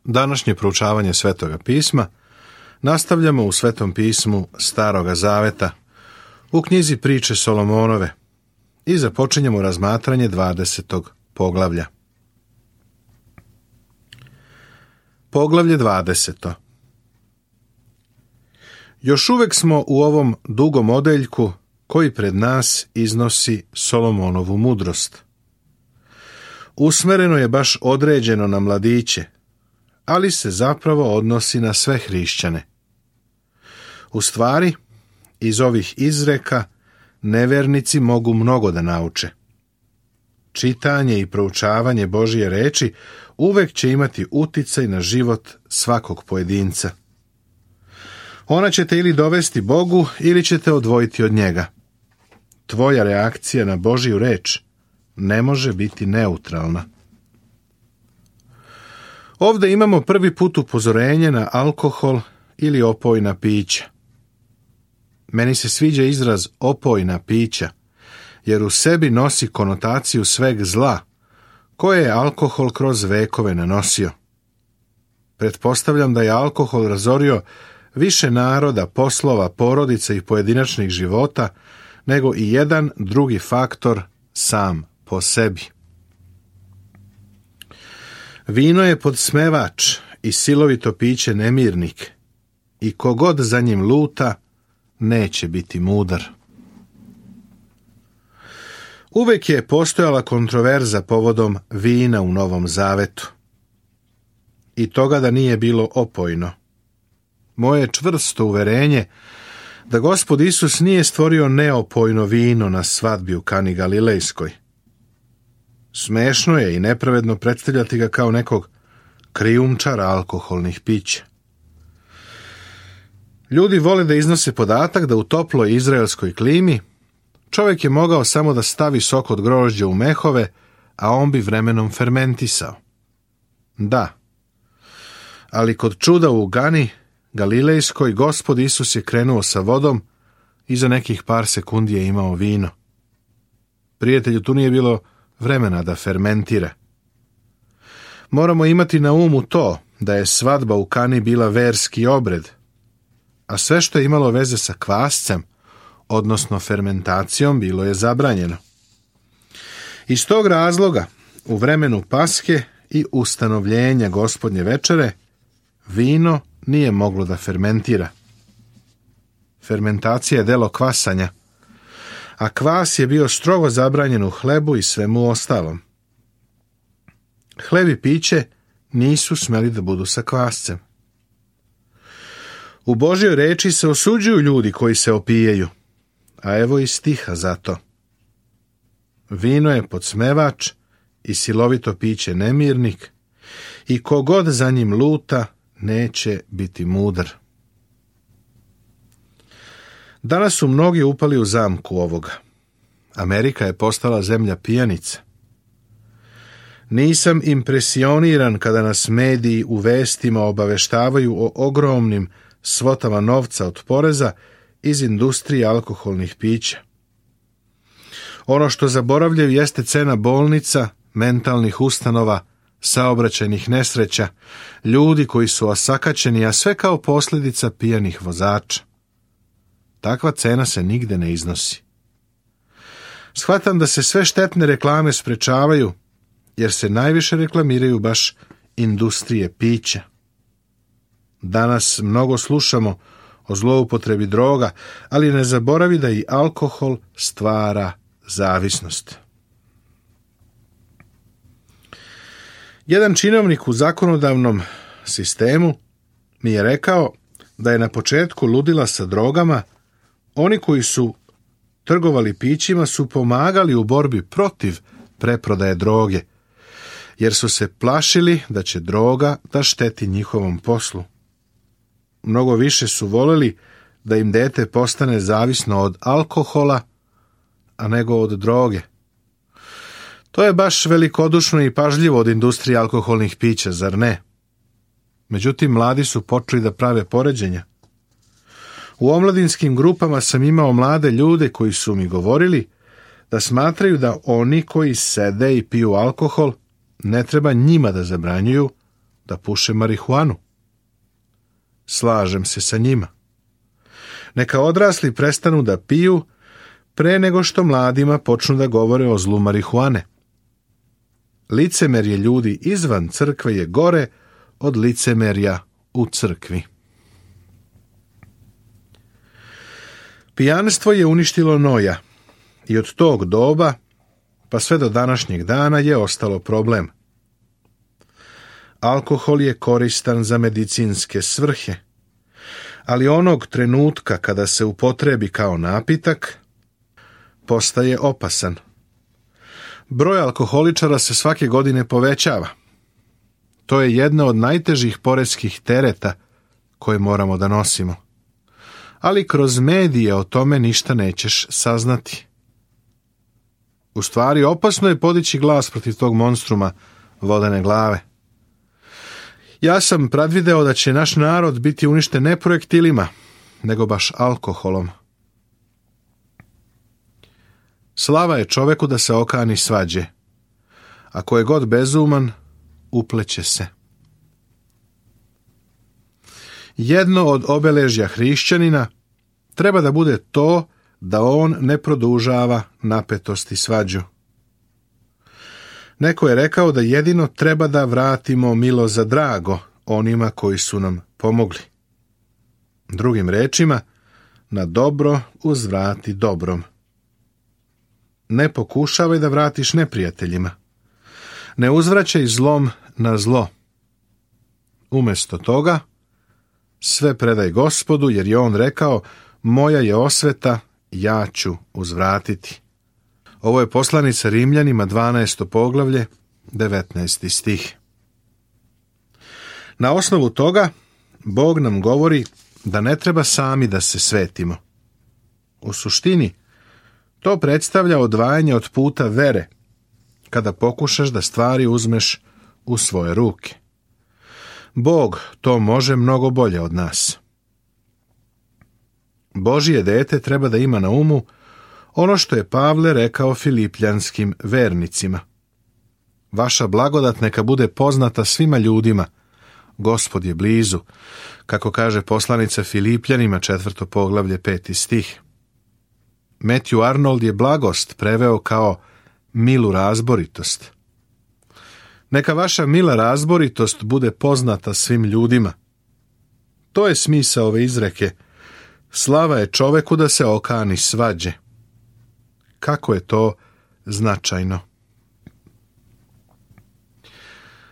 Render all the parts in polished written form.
Današnje proučavanje Svetoga pisma nastavljamo u Svetom pismu Staroga Zaveta, u knjizi Priče Solomonove, i započinjemo razmatranje 20. poglavlja. Poglavlje 20. Još uvek smo u ovom dugom odeljku koji pred nas iznosi Solomonovu mudrost. Usmereno je baš određeno na mladiće, ali se zapravo odnosi na sve hrišćane. U stvari, iz ovih izreka nevernici mogu mnogo da nauče. Čitanje i proučavanje Božje reči uvek će imati uticaj na život svakog pojedinca. Ona će te ili dovesti Bogu ili će te odvojiti od njega. Tvoja reakcija na Božju reč ne može biti neutralna. Ovdje imamo prvi put upozorenje na alkohol ili opojna pića. Meni se sviđa izraz opojna pića, jer u sebi nosi konotaciju sveg zla, koje je alkohol kroz vekove nanosio. Pretpostavljam da je alkohol razorio više naroda, poslova, porodica i pojedinačnih života, nego i jedan drugi faktor sam po sebi. Vino je podsmevač i silovito piće nemirnik, i kogod za njim luta, neće biti mudar. Uvek je postojala kontroverza povodom vina u Novom Zavetu. I toga da nije bilo opojno. Moje je čvrsto uverenje da Gospod Isus nije stvorio neopojno vino na svadbi u Kani Galilejskoj. Smešno je i nepravedno predstavljati ga kao nekog krijumčara alkoholnih pića. Ljudi vole da iznose podatak da u toploj izraelskoj klimi čovjek je mogao samo da stavi sok od grožđa u mehove, a on bi vremenom fermentisao. Da, ali kod čuda u Gani Galilejskoj Gospod Isus je krenuo sa vodom i za nekih par sekundi je imao vino. Prijatelju, tu nije bilo vremena da fermentira. Moramo imati na umu to da je svadba u Kani bila verski obred, a sve što je imalo veze sa kvascem, odnosno fermentacijom, bilo je zabranjeno. Iz tog razloga, u vremenu Paske i ustanovljenja Gospodnje večere, vino nije moglo da fermentira. Fermentacija je delo kvasanja, a kvas je bio strogo zabranjen u hlebu i svemu ostalom. Hleb i piće nisu smeli da budu sa kvascem. U Božjoj reči se osuđuju ljudi koji se opijaju, a evo i stiha za to. Vino je podsmevač i silovito piće nemirnik, i kogod za njim luta, neće biti mudar. Danas su mnogi upali u zamku ovoga. Amerika je postala zemlja pijanica. Nisam impresioniran kada nas mediji u vestima obaveštavaju o ogromnim svotama novca od poreza iz industrije alkoholnih pića. Ono što zaboravljaju jeste cena bolnica, mentalnih ustanova, saobraćajnih nesreća, ljudi koji su osakaćeni, a sve kao posljedica pijanih vozača. Takva cena se nigde ne iznosi. Shvatam da se sve štetne reklame sprečavaju, jer se najviše reklamiraju baš industrije pića. Danas mnogo slušamo o zloupotrebi droga, ali ne zaboravi da i alkohol stvara zavisnost. Jedan činovnik u zakonodavnom sistemu mi je rekao da je na početku ludila sa drogama oni koji su trgovali pićima su pomagali u borbi protiv preprodaje droge, jer su se plašili da će droga da šteti njihovom poslu. Mnogo više su voljeli da im dete postane zavisno od alkohola, a nego od droge. To je baš velikodušno i pažljivo od industrije alkoholnih pića, zar ne? Međutim, mladi su počeli da prave poređenja. U omladinskim grupama sam imao mlade ljude koji su mi govorili da smatraju da oni koji sede i piju alkohol ne treba njima da zabranjuju, da puše marihuanu? Slažem se sa njima. Neka odrasli prestanu da piju pre nego što mladima počnu da govore o zlu marihuane. Licemerje ljudi izvan crkve je gore od licemerja u crkvi. Pijanstvo je uništilo Noja i od tog doba pa sve do današnjeg dana je ostalo problem. Alkohol je koristan za medicinske svrhe, ali onog trenutka kada se upotrebi kao napitak, postaje opasan. Broj alkoholičara se svake godine povećava. To je jedna od najtežih poreskih tereta koje moramo da nosimo. Ali kroz medije o tome ništa nećeš saznati. U stvari, opasno je podići glas protiv tog monstruma vodene glave. Ja sam predvideo da će naš narod biti uništen ne projektilima, nego baš alkoholom. Slava je čoveku da se okani svađe. Ako je god bezuman, upleće se. Jedno od obeležja hrišćanina treba da bude to da on ne produžava napetost i svađu. Neko je rekao da jedino treba da vratimo milo za drago onima koji su nam pomogli. Drugim rečima, na dobro uzvrati dobrom. Ne pokušavaj da vratiš neprijateljima. Ne uzvraćaj zlom na zlo. Umjesto toga, sve predaj Gospodu, jer je on rekao, moja je osveta, ja ću uzvratiti. Ovo je poslanica Rimljanima, 12. poglavlje, 19. stih. Na osnovu toga, Bog nam govori da ne treba sami da se svetimo. U suštini, to predstavlja odvajanje od puta vere, kada pokušaš da stvari uzmeš u svoje ruke. Bog to može mnogo bolje od nas. Božje dete treba da ima na umu ono što je Pavle rekao filipljanskim vernicima. Vaša blagodat neka bude poznata svima ljudima. Gospod je blizu, kako kaže poslanica Filipljanima, 4. poglavlje, 5. stih. Matthew Arnold je blagost preveo kao milu razboritost. Neka vaša mila razboritost bude poznata svim ljudima. To je smisao ove izreke. Slava je čoveku da se okani svađe. Kako je to značajno.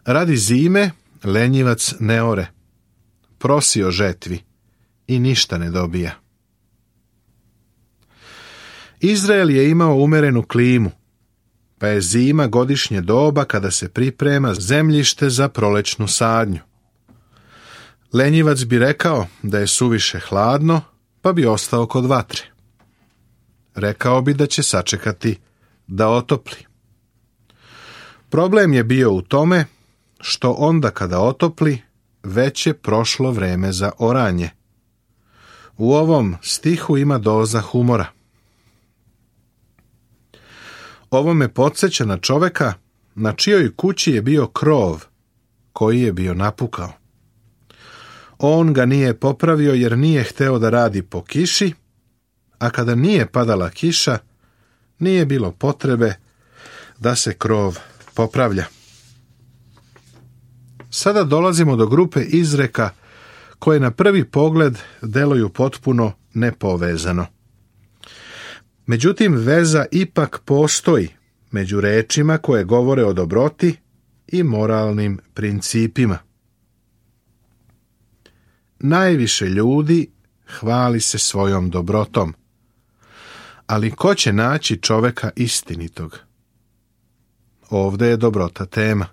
Radi zime lenjivac ne ore, prosi o žetvi i ništa ne dobija. Izrael je imao umerenu klimu, pa je zima godišnje doba kada se priprema zemljište za prolećnu sadnju. Lenjivac bi rekao da je suviše hladno, pa bi ostao kod vatre. Rekao bi da će sačekati da otopli. Problem je bio u tome što onda kada otopli, već je prošlo vreme za oranje. U ovom stihu ima doza humora. Ovo me podsjeća na čoveka na čijoj kući je bio krov koji je bio napukao. On ga nije popravio jer nije hteo da radi po kiši, a kada nije padala kiša, nije bilo potrebe da se krov popravlja. Sada dolazimo do grupe izreka koje na prvi pogled deluju potpuno nepovezano. Međutim, veza ipak postoji među rečima koje govore o dobroti i moralnim principima. Najviše ljudi hvali se svojom dobrotom, ali ko će naći čoveka istinitog? Ovde je dobrota tema.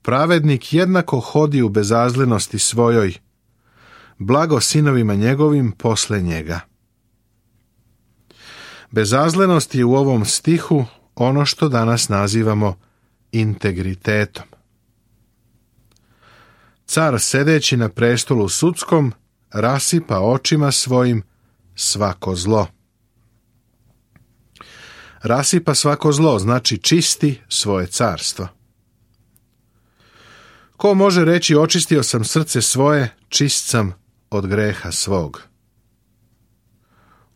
Pravednik jednako hodi u bezazlenosti svojoj, blago sinovima njegovim posle njega. Bezazlenost je u ovom stihu ono što danas nazivamo integritetom. Car sedeći na prestolu sudskom rasipa očima svojim svako zlo. Rasipa svako zlo znači čisti svoje carstvo. Ko može reći očistio sam srce svoje, čist sam od greha svog?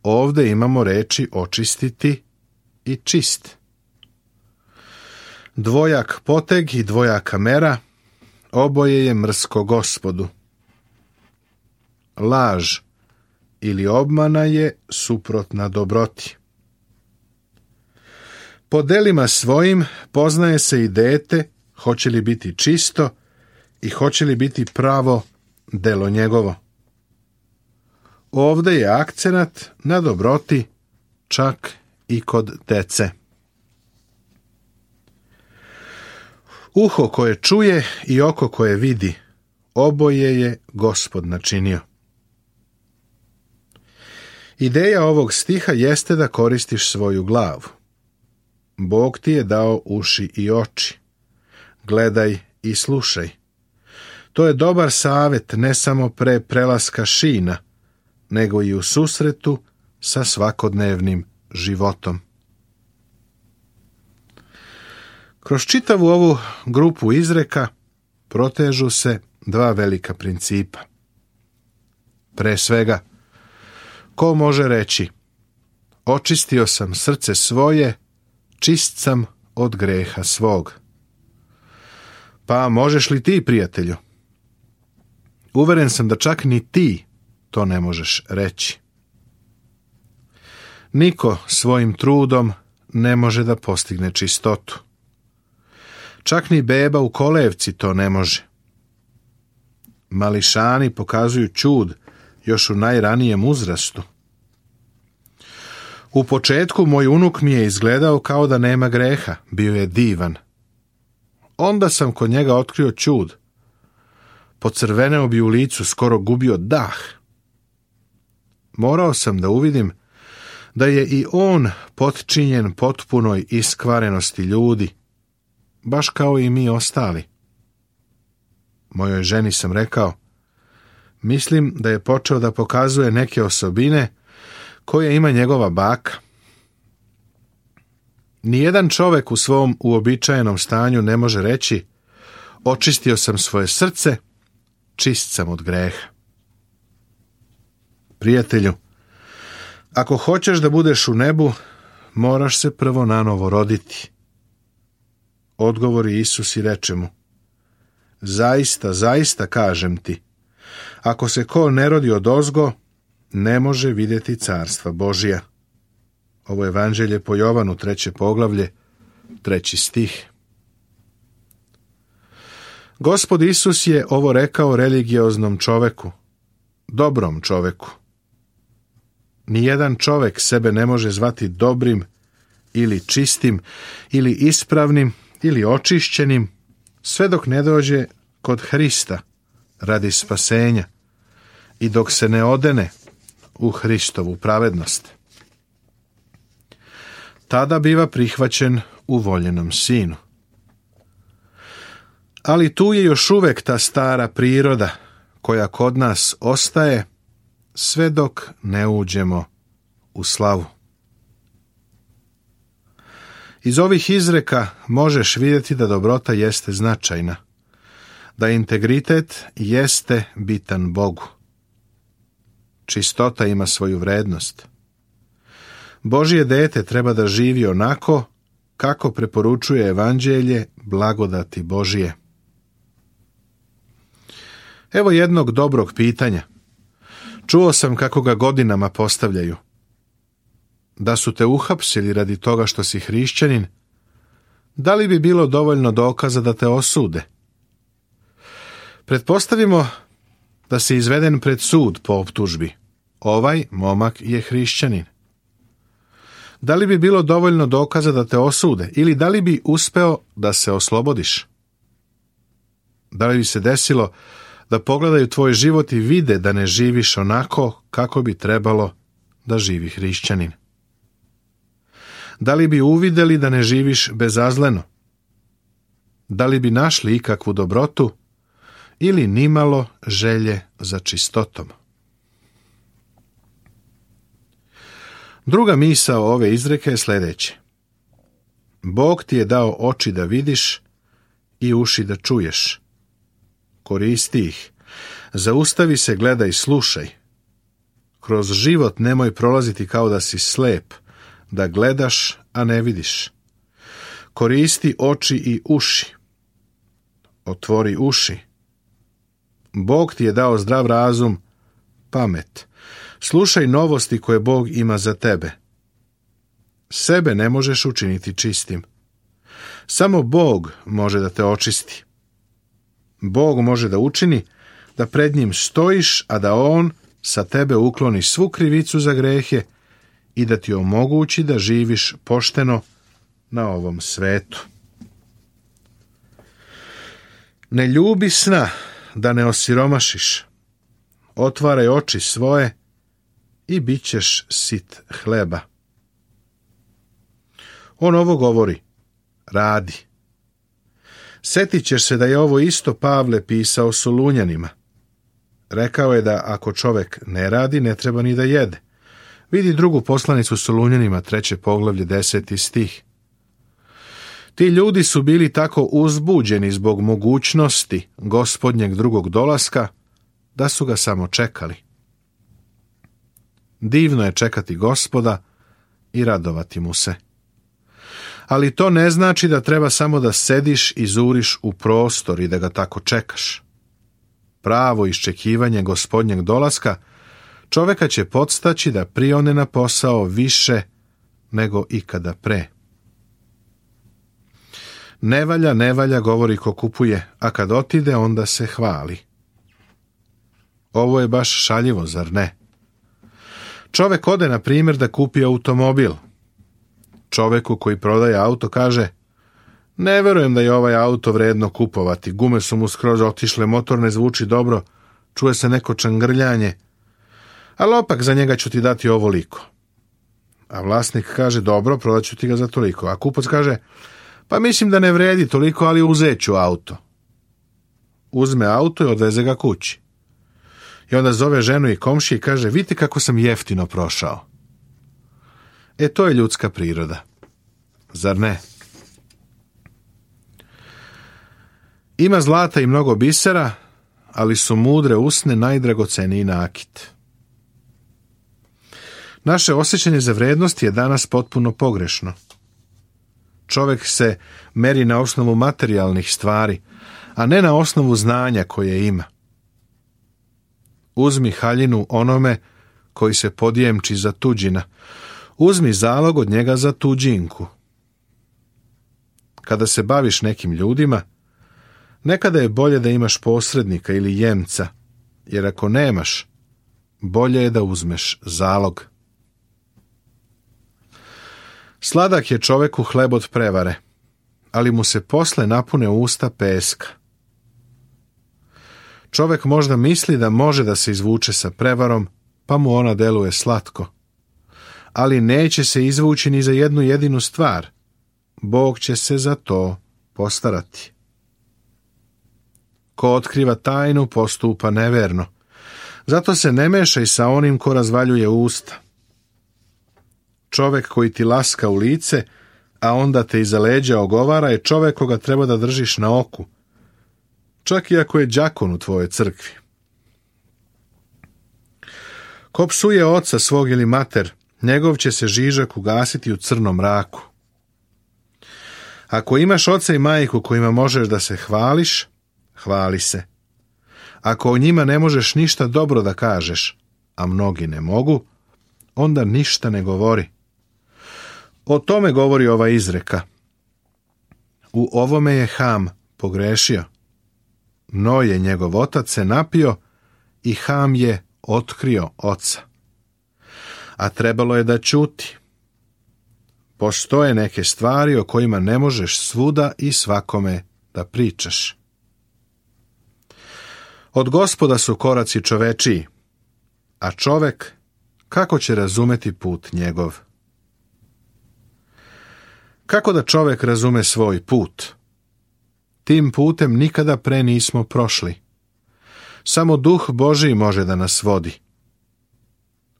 Ovdje imamo reči očistiti i čist. Dvojak poteg i dvojaka mera, oboje je mrsko Gospodu. Laž ili obmana je suprotna dobroti. Po delima svojim poznaje se i dete, hoće li biti čisto i hoće li biti pravo delo njegovo. Ovdje je akcenat na dobroti čak i kod dece. Uho koje čuje i oko koje vidi, oboje je Gospod načinio. Ideja ovog stiha jeste da koristiš svoju glavu. Bog ti je dao uši i oči. Gledaj i slušaj. To je dobar savjet ne samo pre prelaska šina, nego i u susretu sa svakodnevnim životom. Kroz čitavu ovu grupu izreka protežu se dva velika principa. Pre svega, ko može reći očistio sam srce svoje, čist sam od greha svog? Pa možeš li ti, prijatelju? Uveren sam da čak ni ti to ne možeš reći. Niko svojim trudom ne može da postigne čistotu. Čak ni beba u kolevci to ne može. Mališani pokazuju čud još u najranijem uzrastu. U početku moj unuk mi je izgledao kao da nema greha, bio je divan. Onda sam kod njega otkrio čud. Pocrveneo bi u licu, skoro gubio dah. Morao sam da uvidim da je i on potčinjen potpunoj iskvarenosti ljudi, baš kao i mi ostali. Mojoj ženi sam rekao, mislim da je počeo da pokazuje neke osobine koje ima njegova baka. Nijedan čovjek u svom uobičajenom stanju ne može reći očistio sam svoje srce, čist sam od greha. Prijatelju, ako hoćeš da budeš u nebu, moraš se prvo nanovo roditi. Odgovori Isus i reče mu, zaista, zaista kažem ti, ako se ko ne rodi odozgo, ne može vidjeti carstva Božija. Ovo je evanđelje po Jovanu, 3. poglavlje, 3. stih. Gospod Isus je ovo rekao religioznom čoveku, dobrom čoveku. Nijedan čovek sebe ne može zvati dobrim ili čistim ili ispravnim ili očišćenim, sve dok ne dođe kod Hrista radi spasenja i dok se ne odene u Hristovu pravednost. Tada biva prihvaćen u voljenom sinu. Ali tu je još uvek ta stara priroda koja kod nas ostaje sve dok ne uđemo u slavu. Iz ovih izreka možeš vidjeti da dobrota jeste značajna, da integritet jeste bitan Bogu. Čistota ima svoju vrednost. Božje dete treba da živi onako kako preporučuje evanđelje blagodati Božije. Evo jednog dobrog pitanja. Čuo sam kako ga godinama postavljaju. Da su te uhapsili radi toga što si hrišćanin, da li bi bilo dovoljno dokaza da te osude? Pretpostavimo da si izveden pred sud po optužbi. Ovaj momak je hrišćanin. Da li bi bilo dovoljno dokaza da te osude ili da li bi uspeo da se oslobodiš? Da li bi se desilo da pogledaju tvoj život i vide da ne živiš onako kako bi trebalo da živi hrišćanin? Da li bi uvideli da ne živiš bezazleno? Da li bi našli ikakvu dobrotu ili nimalo želje za čistotom? Druga misao ove izreke je sljedeće. Bog ti je dao oči da vidiš i uši da čuješ. koristi ih. Zaustavi se, gledaj, slušaj. Kroz život nemoj prolaziti kao da si slep, da gledaš, a ne vidiš. Koristi oči i uši. Otvori uši. Bog ti je dao zdrav razum, pamet. Slušaj novosti koje Bog ima za tebe. Sebe ne možeš učiniti čistim. Samo Bog može da te očisti. Bog može da učini da pred njim stojiš, a da on sa tebe ukloni svu krivicu za grehe i da ti omogući da živiš pošteno na ovom svetu. Ne ljubi sna, da ne osiromašiš. Otvaraj oči svoje i bit ćeš sit hleba. On ovo govori, radi. Setit ćeš se da je ovo isto Pavle pisao Solunjanima. Rekao je da ako čovek ne radi, ne treba ni da jede. Vidi drugu poslanicu Solunjanima, 3. poglavlje, 10. stih. Ti ljudi su bili tako uzbuđeni zbog mogućnosti Gospodnjeg drugog dolaska, da su ga samo čekali. Divno je čekati Gospoda i radovati mu se. Ali to ne znači da treba samo da sediš i zuriš u prostor i da ga tako čekaš. Pravo iščekivanje Gospodnjeg dolaska čoveka će podstaći da prione na posao više nego ikada pre. Ne valja, govori ko kupuje, a kad otide, onda se hvali. Ovo je baš šaljivo, zar ne? Čovek ode, na primjer, da kupi automobil. Čoveku koji prodaje auto kaže: ne verujem da je ovaj auto vredno kupovati, gume su mu skroz otišle, motor ne zvuči dobro, čuje se neko čangrljanje, ali opak za njega ću ti dati ovoliko. A vlasnik kaže: dobro, prodat ću ti ga za toliko. A kupac kaže: pa mislim da ne vredi toliko, ali uzet ću auto. Uzme auto i odveze ga kući. I onda zove ženu i komšije i kaže: vidite kako sam jeftino prošao. To je ljudska priroda. Zar ne? Ima zlata i mnogo bisera, ali su mudre usne najdragoceniji nakit. Naše osjećanje za vrednost je danas potpuno pogrešno. Čovjek se meri na osnovu materijalnih stvari, a ne na osnovu znanja koje ima. Uzmi haljinu onome koji se podjemči za tuđina. Uzmi zalog od njega za tuđinku. Kada se baviš nekim ljudima, nekada je bolje da imaš posrednika ili jemca, jer ako nemaš, bolje je da uzmeš zalog. Sladak je čoveku hleb od prevare, ali mu se posle napune usta peska. Čovek možda misli da može da se izvuče sa prevarom, pa mu ona deluje slatko. Ali neće se izvući ni za jednu jedinu stvar. Bog će se za to postarati. Ko otkriva tajnu, postupa neverno. Zato se ne mešaj sa onim ko razvaljuje usta. Čovek koji ti laska u lice, a onda te iza leđa ogovara, je čovek koga treba da držiš na oku, čak i ako je đakon u tvojoj crkvi. Ko psuje oca svog ili mater, njegov će se žižak ugasiti u crnom mraku. Ako imaš oca i majku kojima možeš da se hvališ, hvali se. Ako o njima ne možeš ništa dobro da kažeš, a mnogi ne mogu, onda ništa ne govori. O tome govori ova izreka. U ovome je Ham pogrešio. Noje, njegov otac, se napio i Ham je otkrio oca. A trebalo je da ćuti. Postoje neke stvari o kojima ne možeš svuda i svakome da pričaš. Od Gospoda su koraci čovečiji, a čovek kako će razumeti put njegov? Kako da čovek razume svoj put? Tim putem nikada pre nismo prošli. Samo Duh Božiji može da nas vodi.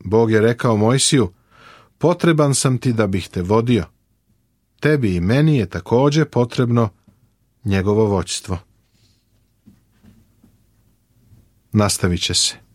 Bog je rekao Mojsiju: potreban sam ti da bih te vodio. Tebi i meni je također potrebno njegovo vođstvo. nastavit će se.